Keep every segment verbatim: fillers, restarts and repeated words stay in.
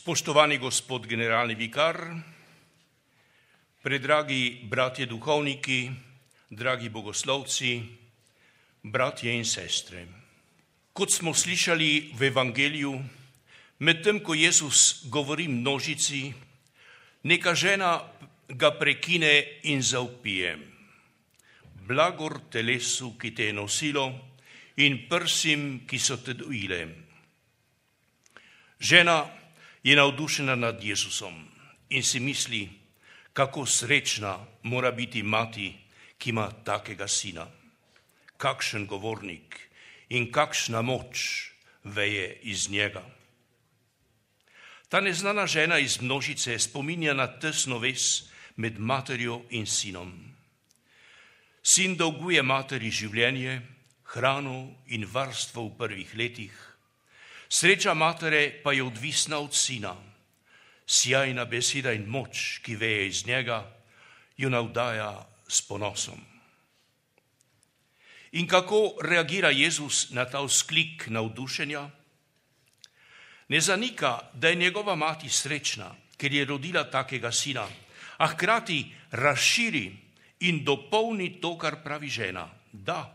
Spoštovani gospod generalni vikar, predragi bratje duhovniki, dragi bogoslovci, bratje in sestre. Kot smo slišali v evangeliju, medtem ko Jezus govori množici, neka žena ga prekine in zavpije: Blagor telesu, ki te je nosilo, in prsim, ki so te dojile. Žena je navdušena nad Jezusom in si misli, kako srečna mora biti mati, ki ima takega sina. Kakšen govornik in kakšna moč veje iz njega. Ta neznana žena iz množice spominja na tesno vez med materjo in sinom. Sin dolguje materi življenje, hrano in varstvo v prvih letih. Sreča matere pa je odvisna od sina. Sjajna beseda in moč, ki veje iz njega, jo navdaja s ponosom. In kako reagira Jezus na ta vzklik navdušenja? Ne zanika, da je njegova mati srečna, ker je rodila takega sina, a hkrati razširi in dopolni to, kar pravi žena. Da,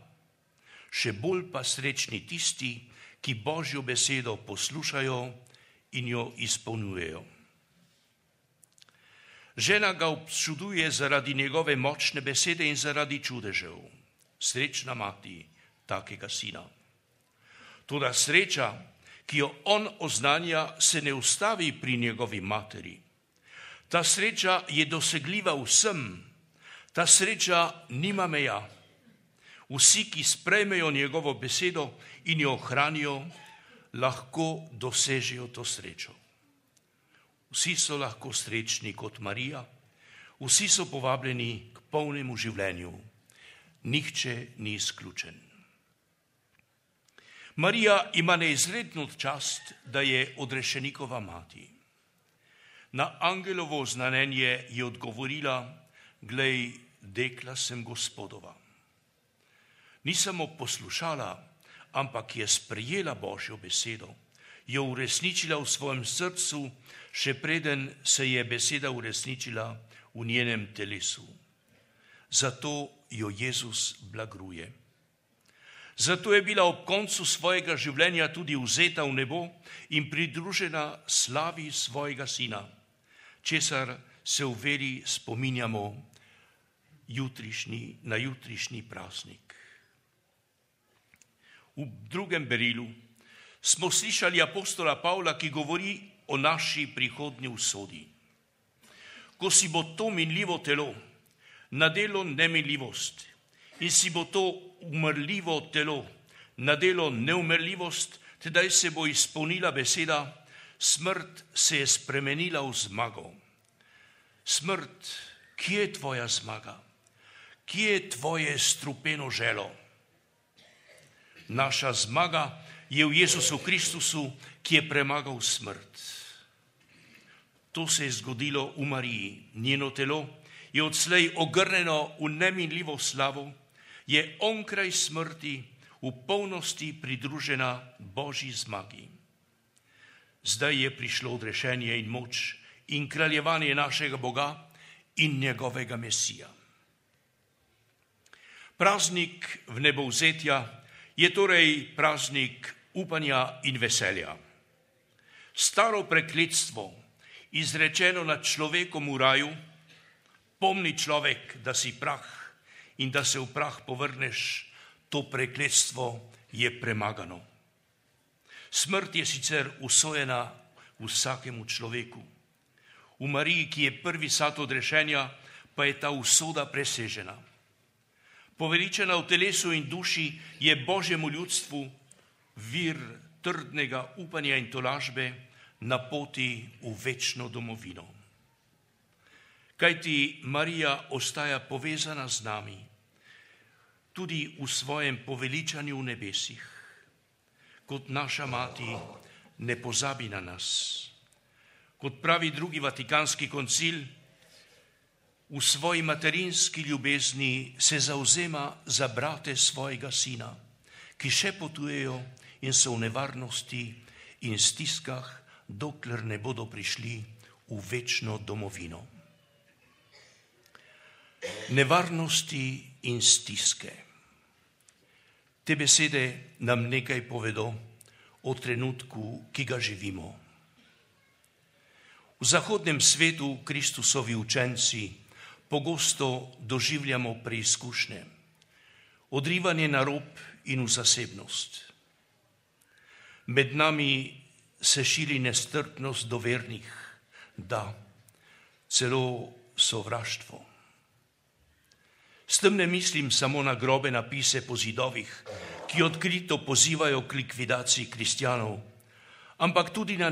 še bolj pa srečni tisti, ki Božjo besedo poslušajo in jo izpolnjujejo. Žena ga občuduje zaradi njegove močne besede in zaradi čudežev. Srečna mati takega sina. Toda sreča, ki jo on oznanja, se ne ustavi pri njegovi materi. Ta sreča je dosegljiva vsem. Ta sreča nima meja. Vsi, ki sprejmejo njegovo besedo in jo ohranijo, lahko dosežejo to srečo. Vsi so lahko srečni kot Marija, vsi so povabljeni k polnemu življenju. Nihče ni izključen. Marija ima neizredno čast, da je odrešenikova mati. Na angelovo znamenje je odgovorila: Glej, dekla sem Gospodova. Ni samo poslušala, ampak je sprejela Božjo besedo, jo uresničila v svojem srcu, še preden se je beseda uresničila v njenem telesu. Zato jo Jezus blagruje. Zato je bila ob koncu svojega življenja tudi vzeta v nebo in pridružena slavi svojega sina, česar se v veri spominjamo jutrišnji, na jutrišnji praznik. V drugem berilu smo slišali apostola Pavla, ki govori o naši prihodnji usodi. Ko si bo to minljivo telo nadelo neminljivost in si bo to umrljivo telo nadelo neumrljivost, tedaj se bo izpolnila beseda: smrt se je spremenila v zmago. Smrt, kje je tvoja zmaga? Kje je tvoje strupeno želo? Naša zmaga je v Jezusu Kristusu, ki je premagal smrt. To se je zgodilo v Mariji. Njeno telo je odslej ogrnjeno v neminljivo slavo, je onkraj smrti v polnosti pridružena Božji zmagi. Zdaj je prišlo odrešenje in moč in kraljevanje našega Boga in njegovega Mesija. Praznik vnebovzetja je torej praznik upanja in veselja. Staro prekletstvo, izrečeno nad človekom v raju: pomni človek, da si prah in da se v prah povrneš, to prekletstvo je premagano. Smrt je sicer usojena vsakemu človeku. V Mariji, ki je prvi sad odrešenja, pa je ta usoda presežena. Poveličena v telesu in duši je Božjemu ljudstvu vir trdnega upanja in tolažbe na poti v večno domovino. Kajti Marija ostaja povezana z nami tudi v svojem poveličanju v nebesih. Kot naša mati ne pozabi na nas. Kot pravi drugi vatikanski koncil, v svoji materinski ljubezni se zavzema za brate svojega sina, ki še potujejo in so v nevarnosti in stiskah dokler ne bodo prišli v večno domovino. Nevarnosti in stiske. Te besede nam nekaj povedo o trenutku, ki ga živimo. V zahodnem svetu Kristusovi učenci pogosto doživljamo preizkušnje, odrivanje na rob in v zasebnost. Med nami se širi nestrpnost do vernih, da celo sovraštvo. S tem ne mislim samo na grobe napise po zidovih, ki odkrito pozivajo k likvidaciji kristjanov, ampak tudi na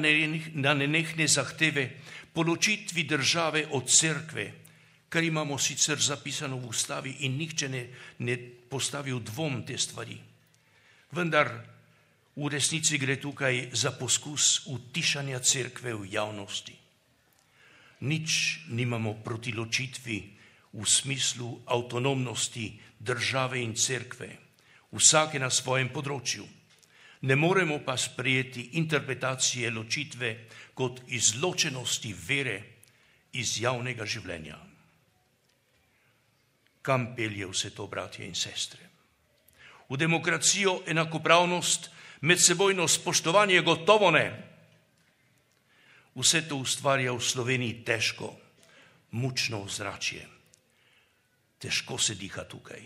nenehne zahteve po ločitvi države od cerkve, kar imamo sicer zapisano v ustavi in nihče ne, ne postavi v dvom te stvari. Vendar v resnici gre tukaj za poskus utišanja cerkve v javnosti. Nič nimamo proti ločitvi v smislu avtonomnosti države in cerkve, vsake na svojem področju. Ne moremo pa sprejeti interpretacije ločitve kot izločenosti vere iz javnega življenja. Kam pelje vse to, bratje in sestre? V demokracijo, enakopravnost, medsebojno spoštovanje gotovo ne. Vse to ustvarja v Sloveniji težko, mučno ozračje. Težko se diha tukaj.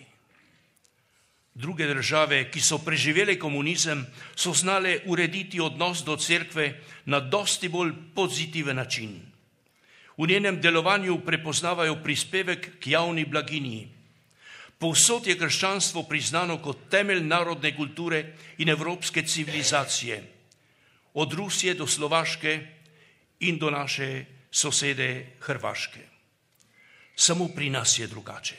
Druge države, ki so preživele komunizem, so znale urediti odnos do cerkve na dosti bolj pozitiven način. V njenem delovanju prepoznavajo prispevek k javni blaginji. Povsod je krščanstvo priznano kot temelj narodne kulture in evropske civilizacije, od Rusije do Slovaške in do naše sosede Hrvaške. Samo pri nas je drugače.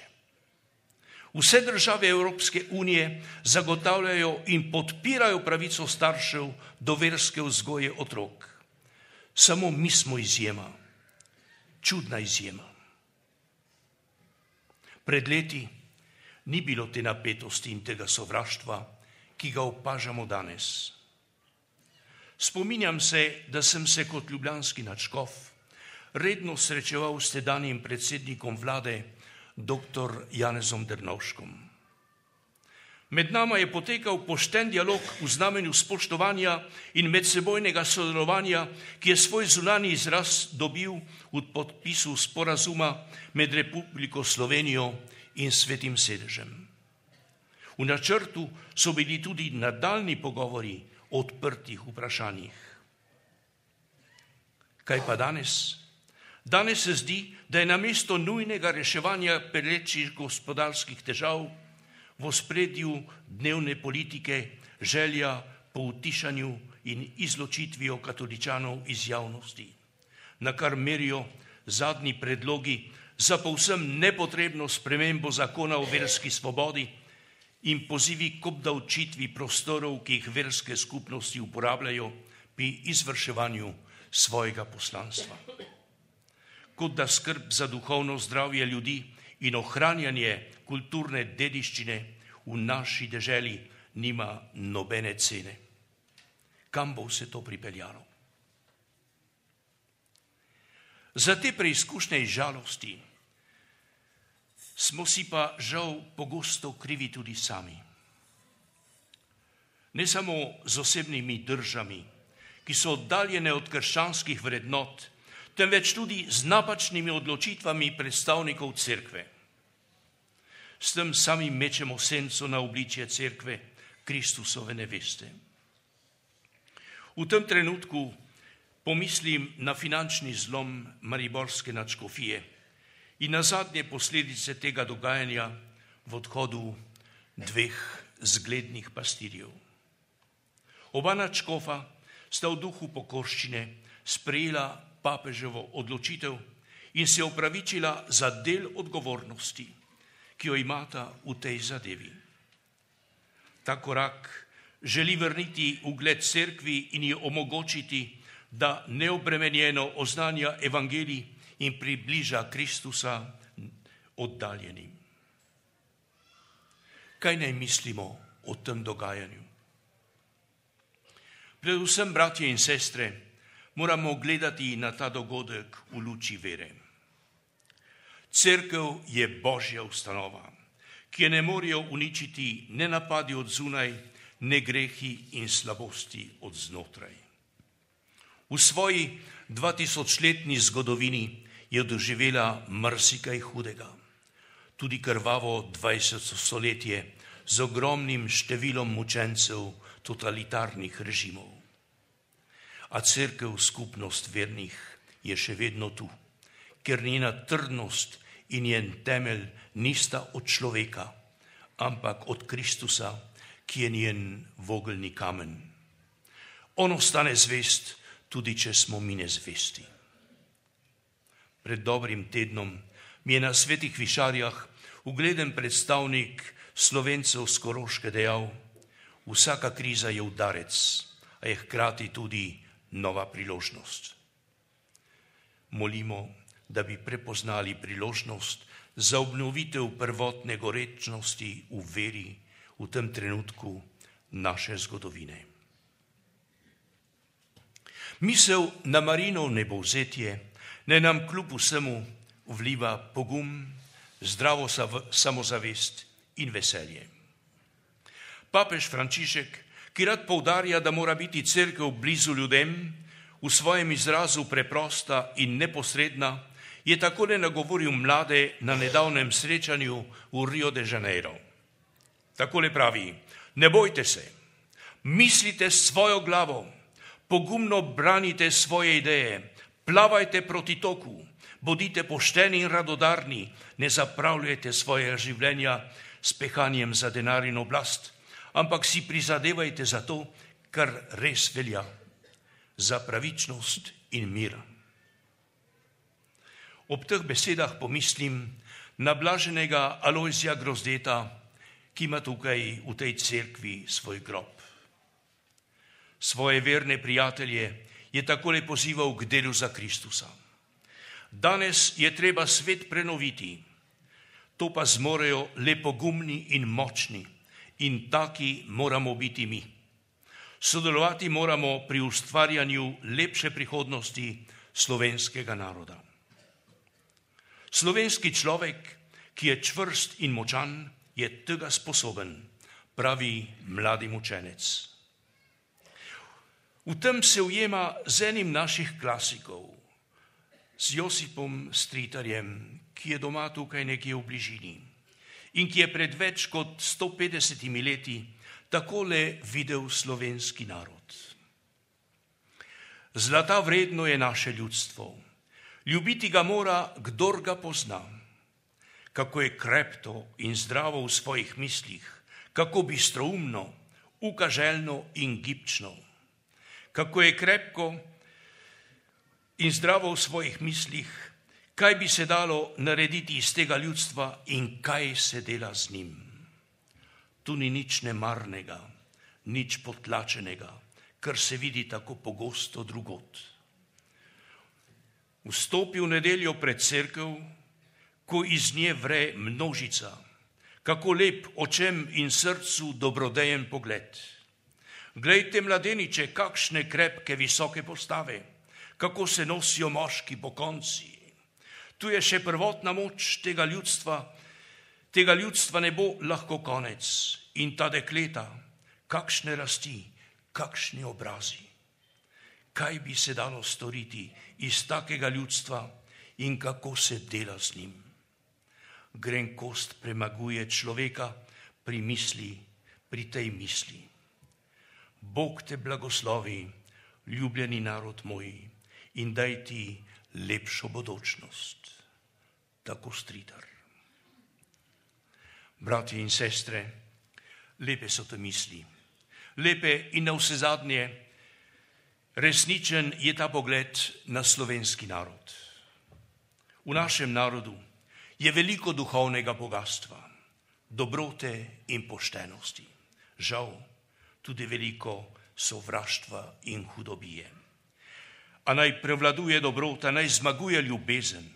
Vse države Evropske unije zagotavljajo in podpirajo pravico staršev do verske vzgoje otrok. Samo mi smo izjema, čudna izjema. Pred leti ni bilo te napetosti in tega sovraštva, ki ga opažamo danes. Spominjam se, da sem se kot ljubljanski nadškof redno srečeval s tedanjim predsednikom vlade, doktor Janezom Drnovškom. Med nama je potekal pošten dialog v znamenju spoštovanja in medsebojnega sodelovanja, ki je svoj zunanji izraz dobil v podpisu sporazuma med Republiko Slovenijo in Svetim sedežem. V načrtu so bili tudi nadaljnji pogovori o odprtih vprašanjih. Kaj pa danes? Danes se zdi, da je namesto nujnega reševanja perečih gospodarskih težav v ospredju dnevne politike želja po utišanju in izločitvijo katoličanov iz javnosti, na kar merijo zadnji predlogi za povsem nepotrebno spremembo zakona o verski svobodi in pozivi k obdavčitvi prostorov, ki jih verske skupnosti uporabljajo pri izvrševanju svojega poslanstva. Kot da skrb za duhovno zdravje ljudi in ohranjanje kulturne dediščine v naši deželi nima nobene cene. Kam bo vse to pripeljalo? Za te preizkušnje in žalosti smo si pa žal pogosto krivi tudi sami. Ne samo z osebnimi držami, ki so oddaljene od krščanskih vrednot, temveč tudi z napačnimi odločitvami predstavnikov cerkve. S tem sami mečemo senco na obličje cerkve, Kristusove neveste. V tem trenutku pomislim na finančni zlom mariborske nadškofije in na zadnje posledice tega dogajanja v odhodu dveh zglednih pastirjev. Oba nadškofa sta v duhu pokorščine sprejela papeževo odločitev in se opravičila za del odgovornosti, ki jo imata v tej zadevi. Ta korak želi vrniti ugled cerkvi in ji omogočiti, da neobremenjeno oznanja evangelij in približa Kristusa oddaljenim. Kaj naj mislimo o tem dogajanju? Predvsem, bratje in sestre, moramo gledati na ta dogodek v luči vere. Cerkev je Božja ustanova, ki je ne morejo uničiti ne napadi od zunaj, ne grehi in slabosti od znotraj. V svoji dvatisočletni zgodovini je doživela marsikaj hudega, tudi krvavo dvajseto stoletje z ogromnim številom mučencev totalitarnih režimov. A cerkev, skupnost vernih, je še vedno tu, ker njena trdnost in njen temelj nista od človeka, ampak od Kristusa, ki je njen vogelni kamen. On ostane zvest, tudi če smo mi nezvesti. Pred dobrim tednom mi je na Svetih Višarjah ugleden predstavnik Slovencev s Koroške dejal: vsaka kriza je udarec, a je hkrati tudi nova priložnost. Molimo, da bi prepoznali priložnost za obnovitev prvotne gorečnosti v veri v tem trenutku naše zgodovine. Misel na Marijino nebovzetje naj nam kljub vsemu vliva pogum, zdravo samozavest in veselje. Papež Frančišek, ki rad poudarja, da mora biti cerkev blizu ljudem, v svojem izrazu preprosta in neposredna, je takole nagovoril mlade na nedavnem srečanju v Rio de Janeiro. Takole pravi: ne bojte se, mislite s svojo glavo, pogumno branite svoje ideje, plavajte proti toku, bodite pošteni in radodarni, ne zapravljajte svojega življenja s pehanjem za denar in oblast, ampak si prizadevajte za to, kar res velja, za pravičnost in mir. Ob teh besedah pomislim na blaženega Alojzija Grozdeta, ki ima tukaj v tej cerkvi svoj grob. Svoje verne prijatelje je takole pozival k delu za Kristusa. Danes je treba svet prenoviti, to pa zmorejo le pogumni in močni, in taki moramo biti mi. Sodelovati moramo pri ustvarjanju lepše prihodnosti slovenskega naroda. Slovenski človek, ki je čvrst in močan, je tega sposoben, pravi mladi mučenec. V tem se ujema z enim naših klasikov, z Josipom Stritarjem, ki je doma tukaj nekje v bližini in ki je pred več kot sto petdesetimi leti takole videl slovenski narod. Zlata vredno je naše ljudstvo, ljubiti ga mora, kdor ga pozna. Kako je krepto in zdravo v svojih mislih, kako bistroumno, ukaželjno in gibčno. Kako je krepko in zdravo v svojih mislih, kaj bi se dalo narediti iz tega ljudstva in kaj se dela z njim. Tu ni nič nemarnega, nič potlačenega, kar se vidi tako pogosto drugod. Vstopi v nedeljo pred cerkev, ko iz nje vre množica, kako lep očem in srcu dobrodejen pogled. Glejte mladeniče, kakšne krepke visoke postave, kako se nosijo moški pokonci. Tu je še prvotna moč tega ljudstva, tega ljudstva ne bo lahko konec. In ta dekleta, kakšne rasti, kakšni obrazi. Kaj bi se dalo storiti iz takega ljudstva in kako se dela z njim? Grenkost premaguje človeka pri misli, pri tej misli. Bog te blagoslovi, ljubljeni narod moj, in daj ti lepšo bodočnost. Tako Stritar. Bratje in sestre, lepe so te misli. Lepe in navsezadnje resničen je ta pogled na slovenski narod. V našem narodu je veliko duhovnega bogatstva, dobrote in poštenosti. Žal tudi veliko sovraštva in hudobije. A naj prevladuje dobrota, naj zmaguje ljubezen.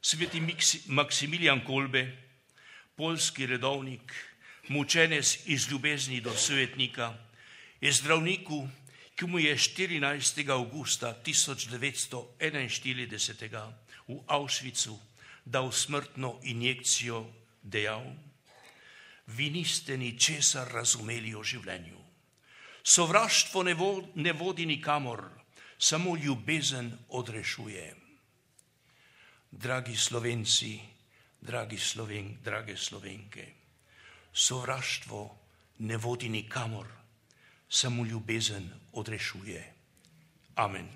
Sveti Maksimilijan Kolbe, poljski redovnik, mučenec iz ljubezni do svetnika, je zdravniku, ki mu je štirinajstega avgusta tisoč devetsto enainštirideset v Auschwitzu dal smrtno injekcijo, dejal: vi niste ničesar razumeli o življenju. Sovraštvo ne, vo, ne vodi nikamor, samo ljubezen odrešuje. Dragi Slovenci, dragi Sloven, drage Slovenke, sovraštvo ne vodi nikamor, samo ljubezen odrešuje. Amen.